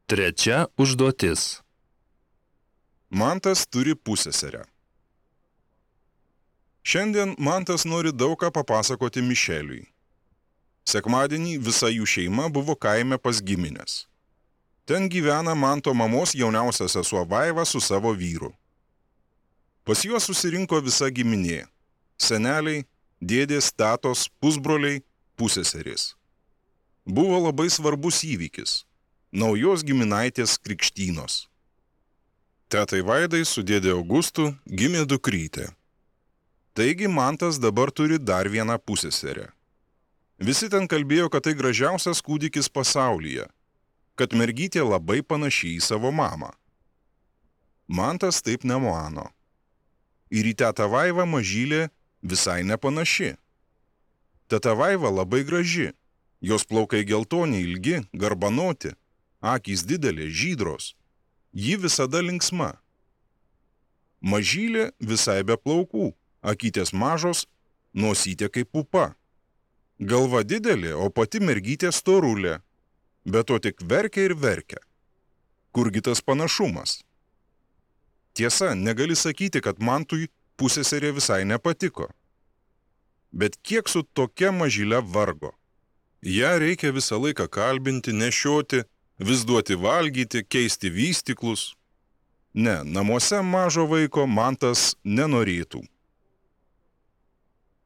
Trečia užduotis. Mantas turi pusseserę. Šiandien Mantas nori daug ką papasakoti Mišeliui. Sekmadienį visa jų šeima buvo kaime pas gimines. Ten gyvena Manto mamos jauniausia sesuo Vaiva su savo vyru. Pas juos susirinko visa giminė – seneliai, dėdės, tetos, pusbroliai, pusseserės. Buvo labai svarbus įvykis – naujos giminaitės krikštynos. Tetai Vaidai su dėdė Augustu gimė dukrytė. Taigi Mantas dabar turi dar vieną pusseserę. Visi ten kalbėjo, kad tai gražiausias kūdikis pasaulyje, kad mergytė labai panaši į savo mamą. Mantas taip nemano. Ir į tetą Vaivą mažylė visai nepanaši. Teta Vaiva labai graži, jos plaukai geltoni ilgi, garbanoti, akys didelės, žydros. Ji visada linksma. Mažylė visai be plaukų, akytės mažos, nosytė kaip pupa. Galva didelė, o pati mergytė storulė, bet to tik verkia ir verkia. Kurgi tas panašumas? Tiesa, negali sakyti, kad Mantui pusseserė visai nepatiko. Bet kiek su tokia mažyle vargo? Ja reikia visą laiką kalbinti, nešioti, vis duoti valgyti, keisti vystyklus. Ne, namuose mažo vaiko Mantas nenorėtų.